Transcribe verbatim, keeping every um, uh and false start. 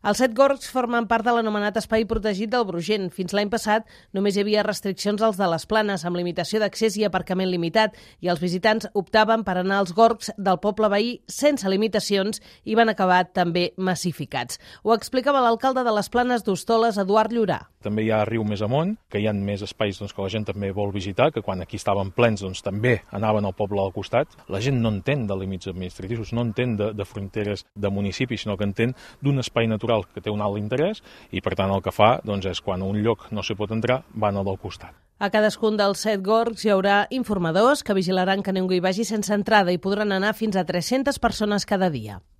Els set gorgs formen part de l'anomenat espai protegit del Brugent. Fins l'any passat només hi havia restriccions als de les Planes, amb limitació d'accés i aparcament limitat, i els visitants optaven per anar als gorgs del poble veí sense limitacions i van acabar també massificats. Ho explicava l'alcalde de les Planes d'Hostoles, Eduard Llorà. També hi ha riu més amunt, que hi ha més espais doncs, que la gent també vol visitar, que quan aquí estaven plens doncs, també anaven al poble al costat. La gent no entén de límits administratius, no entén de, de fronteres de municipis, sinó que entén d'un espai natural que té un alt interès i, per tant, el que fa doncs, és quan a un lloc no s'hi pot entrar, van al del costat. A cadascun dels set gorgs hi haurà informadors que vigilaran que ningú hi vagi sense entrada i podran anar fins a tres-centes persones cada dia.